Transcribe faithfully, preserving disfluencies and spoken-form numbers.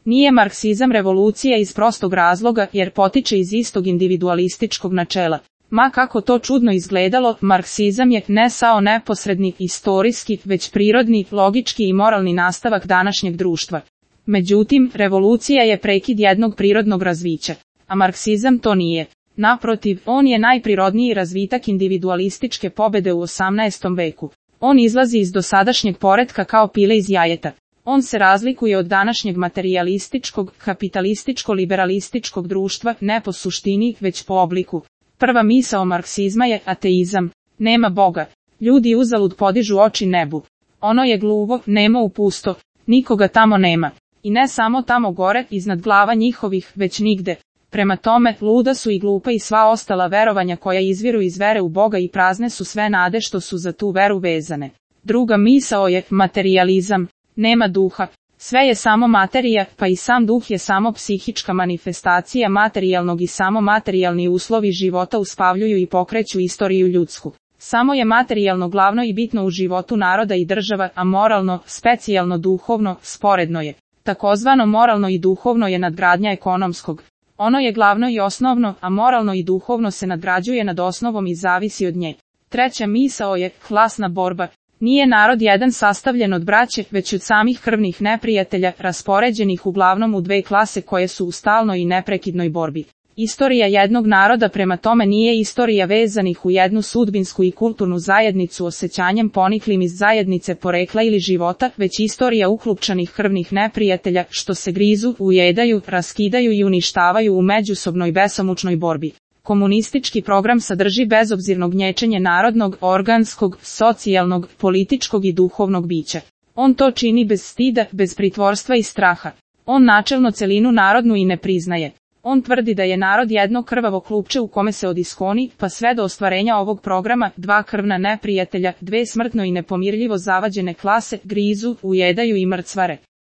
Nije marksizam revolucija iz prostog razloga jer potiče iz istog individualističkog načela. Ma kako to čudno izgledalo, marksizam je ne samo neposredni, istorijski, već prirodni, logički i moralni nastavak današnjeg društva. Međutim, revolucija je prekid jednog prirodnog razvića, a marksizam to nije. Naprotiv, on je najprirodniji razvitak individualističke pobede u osamnaestom veku. On izlazi iz dosadašnjeg poretka kao pile iz jajeta. On se razlikuje od današnjeg materijalističkog, kapitalističko-liberalističkog društva, ne po suštini, već po obliku. Prva misao marksizma je ateizam. Nema Boga. Ljudi uzalud podižu oči nebu. Ono je gluvo, nemo u pusto. Nikoga tamo nema. I ne samo tamo gore, iznad glava njihovih, već nigde. Prema tome, luda su i glupa i sva ostala verovanja koja izviru iz vere u Boga i prazne su sve nade što su za tu veru vezane. Druga misao je materijalizam. Nema duha. Sve je samo materija, pa i sam duh je samo psihička manifestacija materijalnog i samo materijalni uslovi života uspavljuju i pokreću istoriju ljudsku. Samo je materijalno glavno i bitno u životu naroda i država, a moralno, specijalno duhovno, sporedno je. Takozvano moralno i duhovno je nadgradnja ekonomskog. Ono je glavno i osnovno, a moralno i duhovno se nadgrađuje nad osnovom i zavisi od nje. Treća misao je klasna borba. Nije narod jedan sastavljen od braće, već od samih krvnih neprijatelja, raspoređenih uglavnom u dve klase koje su u stalnoj i neprekidnoj borbi. Istorija jednog naroda prema tome nije istorija vezanih u jednu sudbinsku i kulturnu zajednicu osjećanjem poniklim iz zajednice porekla ili života, već istorija uklupčanih krvnih neprijatelja, što se grizu, ujedaju, raskidaju i uništavaju u međusobnoj besomučnoj borbi. Komunistički program sadrži bezobzirno gnječenje narodnog, organskog, socijalnog, političkog i duhovnog bića. On to čini bez stida, bez pritvorstva i straha. On načelno celinu narodnu i ne priznaje. On tvrdi da je narod jedno krvavo klupče u kome se od iskoni, pa sve do ostvarenja ovog programa, dva krvna neprijatelja, dve smrtno i nepomirljivo zavađene klase, grizu, ujedaju i mrcvare.